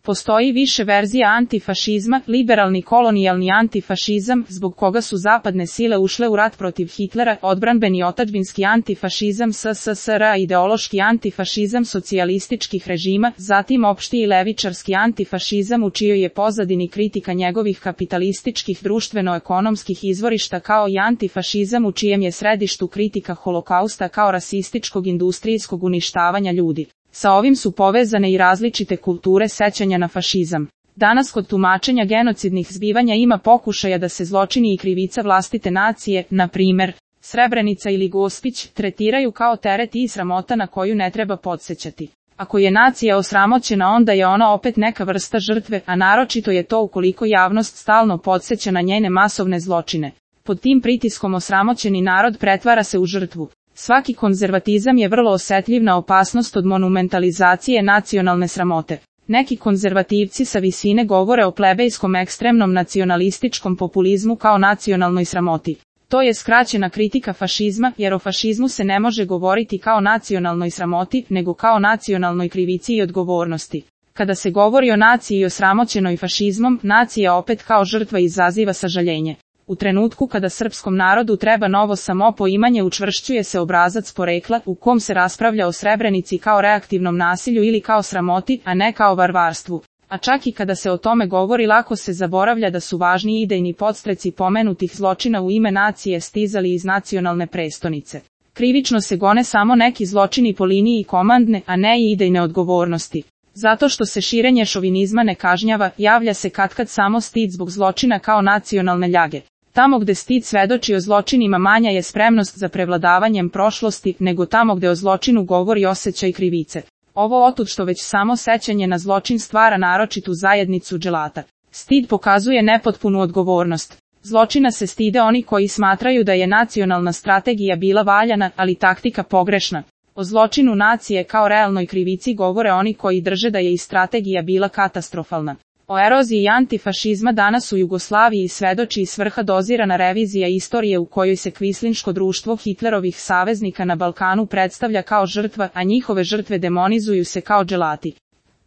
Postoji više verzija antifašizma, liberalni kolonijalni antifašizam, zbog koga su zapadne sile ušle u rat protiv Hitlera, odbranbeni otadžbinski antifašizam SSSR, ideološki antifašizam socijalističkih režima, zatim opšti i levičarski antifašizam u čijoj je pozadini kritika njegovih kapitalističkih društveno-ekonomskih izvorišta, kao i antifašizam u čijem je središtu kritika holokausta kao rasističkog industrijskog uništavanja ljudi. Sa ovim su povezane i različite kulture sećanja na fašizam. Danas kod tumačenja genocidnih zbivanja ima pokušaja da se zločini i krivica vlastite nacije, na primer, Srebrenica ili Gospić, tretiraju kao teret i sramota na koju ne treba podsećati. Ako je nacija osramoćena, onda je ona opet neka vrsta žrtve, a naročito je to ukoliko javnost stalno podseća na njene masovne zločine. Pod tim pritiskom osramoćeni narod pretvara se u žrtvu. Svaki konzervatizam je vrlo osetljiv na opasnost od monumentalizacije nacionalne sramote. Neki konzervativci sa visine govore o plebejskom ekstremnom nacionalističkom populizmu kao nacionalnoj sramoti. To je skraćena kritika fašizma, jer o fašizmu se ne može govoriti kao nacionalnoj sramoti, nego kao nacionalnoj krivici i odgovornosti. Kada se govori o naciji osramoćenoj fašizmom, nacija opet kao žrtva izaziva sažaljenje. U trenutku kada srpskom narodu treba novo samopoimanje, učvršćuje se obrazac porekla, u kom se raspravlja o Srebrenici kao reaktivnom nasilju ili kao sramoti, a ne kao varvarstvu. A čak i kada se o tome govori, lako se zaboravlja da su važni idejni podstreci pomenutih zločina u ime nacije stizali iz nacionalne prestonice. Krivično se gone samo neki zločini po liniji komandne, a ne i idejne odgovornosti. Zato što se širenje šovinizma ne kažnjava, javlja se katkad samo stid zbog zločina kao nacionalne ljage. Tamo gde stid svedoči o zločinima, manja je spremnost za prevladavanjem prošlosti, nego tamo gde o zločinu govori osjećaj krivice. Ovo otud što već samo sećanje na zločin stvara naročitu zajednicu dželata. Stid pokazuje nepotpunu odgovornost. Zločina se stide oni koji smatraju da je nacionalna strategija bila valjana, ali taktika pogrešna. O zločinu nacije kao realnoj krivici govore oni koji drže da je i strategija bila katastrofalna. O eroziji antifašizma danas u Jugoslaviji svedoči i svrha dozirana revizija istorije u kojoj se kvislinško društvo Hitlerovih saveznika na Balkanu predstavlja kao žrtva, a njihove žrtve demonizuju se kao dželati.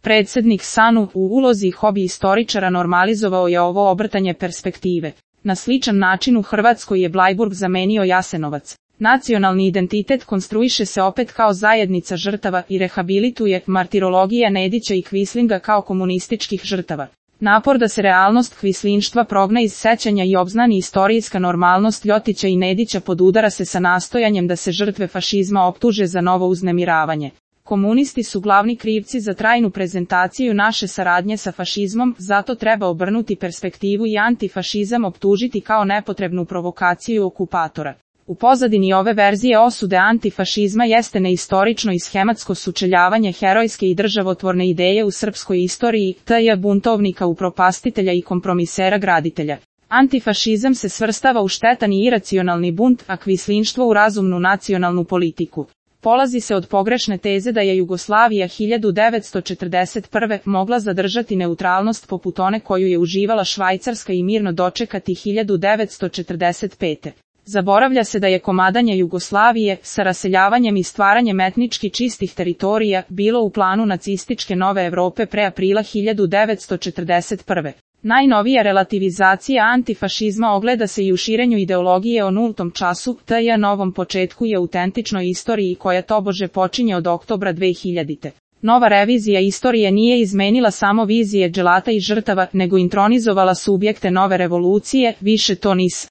Predsednik Sanu u ulozi hobi istoričara normalizovao je ovo obrtanje perspektive. Na sličan način u Hrvatskoj je Blajburg zamenio Jasenovac. Nacionalni identitet konstruiše se opet kao zajednica žrtava i rehabilituje martirologija Nedića i Kvislinga kao komunističkih žrtava. Napor da se realnost kvislinštva progna iz sećanja i obznani istorijska normalnost Ljotića i Nedića podudara se sa nastojanjem da se žrtve fašizma optuže za novo uznemiravanje. Komunisti su glavni krivci za trajnu prezentaciju naše saradnje sa fašizmom, zato treba obrnuti perspektivu i antifašizam optužiti kao nepotrebnu provokaciju okupatora. U pozadini ove verzije osude antifašizma jeste neistorično i schematsko sučeljavanje herojske i državotvorne ideje u srpskoj istoriji, t.j. buntovnika upropastitelja i kompromisera graditelja. Antifašizam se svrstava u štetan i iracionalni bunt, a kvislinštvo u razumnu nacionalnu politiku. Polazi se od pogrešne teze da je Jugoslavija 1941. mogla zadržati neutralnost poput one koju je uživala Švajcarska i mirno dočekati 1945. Zaboravlja se da je komadanje Jugoslavije, sa raseljavanjem i stvaranjem etnički čistih teritorija, bilo u planu nacističke nove Evrope pre aprila 1941. Najnovija relativizacija antifašizma ogleda se i u širenju ideologije o nultom času, t.j. novom početku i autentičnoj istoriji koja tobože počinje od oktobra 2000. Nova revizija istorije nije izmenila samo vizije dželata i žrtava, nego intronizovala subjekte nove revolucije, više to NIS.